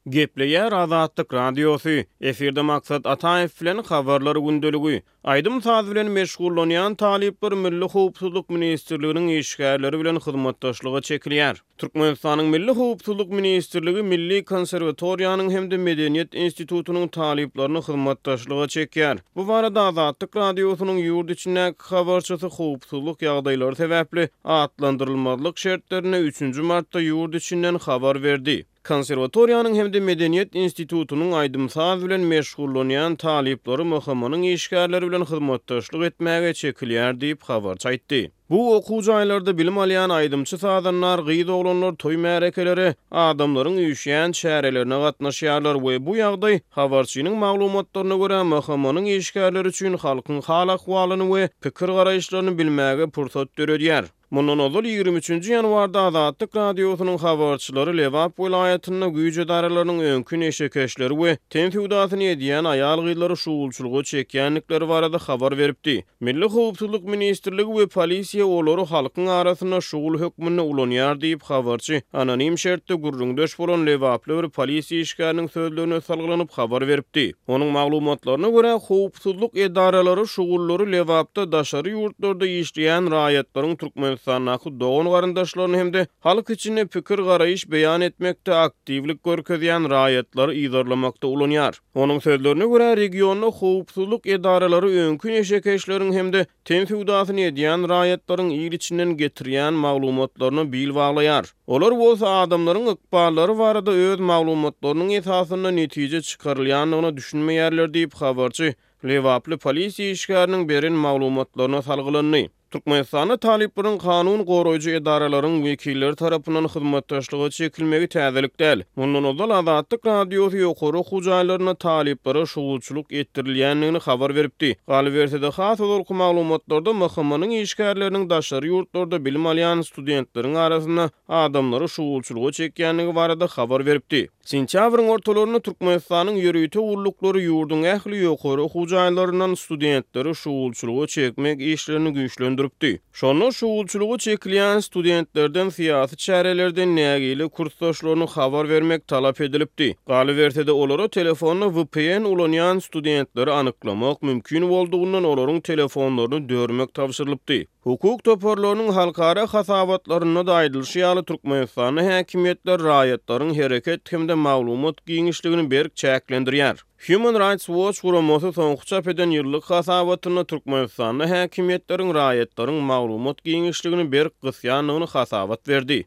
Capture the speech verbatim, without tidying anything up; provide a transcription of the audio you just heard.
Gepleýär Azatlyk Radiosy, efirde Maksat Ataýew bilen Habarlar gündeligi. Aýdym-saz bilen meşgullanýan talyplar Milli howpsuzlyk ministrliginiň işgärleri bilen hyzmatdaşlyga çekilýär. Türkmenistanyň Milli howpsuzlyk ministrligi Milli konserwatoriýanyň hem-de Medeniýet institutynyň talyplaryny hyzmatdaşlyga çekýär. Bu barada Azatlyk Radiosynyň ýurt içindäki habarçysy howpsuzlyk ýagdaýlary sebäpli atlandyrylmazlyk şertlerinde üçünji martda ýurt içinden habar berdi. Konserwatoriýanyň hem-de Medeniýet institutynyň aýdym-saz bilen meşgullanýan talyplary M H M-nyň işgärleri bilen hyzmatdaşlyk etmäge çekilýär diýip habarçy aýtdy. Bu okuw jaýlarda bilim alýan aýdymçy sazandar gyz oglanlar toý märekelere, adamlaryň üýşýän çärelerine gatnaşýarlar we bu ýagdaý habarçynyň maglumatlaryna görä M H M-nyň işgärleri üçin halkyň hal-ahwalyny we pikir garaýyşlaryny bilmäge pursat döredýär. Mundan ozal ýigrimi üçünji ýanwarda Azatlyk Radiosynyň habarçylary Lebap welaýatynda güýç edaralarynyň öňki neşekeşleri we ten söwdasyny edýän aýal-gyzlary şugulçylyga çekýändikleri barada habar beripdi. Milli howpsuzlyk ministrligi we polisiýa olary halkyň arasynda şugul hökmünde ulanýar diýip habarçy anonim şertde gürrüňdeş bolan Lebaply bir polisiýa işgäriniň sözlerine salgylanyp habar beripdi. Onuň maglumatlaryna görä howpsuzlyk edaralary şugullary Lebapda daşary ýurtlarda işleýän raýatlaryň Türkmenistandaky dogan garyndaşlaryny hem-de halk içinde pikir garaýyş beýan etmekde aktiwlik görkezýän raýatlary yzarlamakda ulanýar. Onuň sözlerine görä regionda howpsuzlyk edaralary öňki neşekeşleriň hem-de ten söwdasyny edýän raýatlaryň il içinden getirýän maglumatlaryna bil baglaýar. Olar bolsa adamlaryň ykballary barada öz maglumatlarynyň esasynda netije çykarylýandygyna düşünmeýärler diýip habarçy Lebaply polisiýa işgäriniň beren maglumatlaryna salgylandy. Türkmenistanda talyplaryň kanun goraýjy edaralaryň wekilleri tarapyndan hyzmatdaşlyga çekilmegi täzelik däl. Mundan ozal Azatlyk Radiosy ýokary okuw jaýlarynda talyplara şugulçylyk etdirilýändigini habar beripdi. Galyberse-de has ozalky maglumatlarda M H M-nyň işgärleriniň daşary ýurtlarda bilim alýan studentleriň arasynda adamlary şugulçylyga çekýändigi barada habar beripdi. Sentýabryň ortalarynda Türkmenistanyň ýörite gulluklary ýurduň ähli ýokary okuw jaýlaryndan studentleri şugulçylyga çekmek işlerini güýçlendiripdi. Şonda şugulçylyga çekilýän studentlerden syýasy çärelerden nägile kursdaşlaryny habar bermek talap edilipdi. Galyberse-de olara telefonda V P N ulanýan studentleri anyklamak mümkin boldugyndan olaryň telefonlaryny dörmek tabşyrylypdy. Hukuk toparlarynyň halkara hasabatlarynda da aýdylyşy ýaly Türkmenistanda häkimiýetler raýatlaryň hereket hem-de maglumat giňişligini berk çäklendirýär. Human Rights Watch guramasy soňky çap eden ýyllyk hasabatynda Türkmenistanda häkimiýetleriň raýatlaryň maglumat giňişligini berk gysýandygyny hasabat berdi.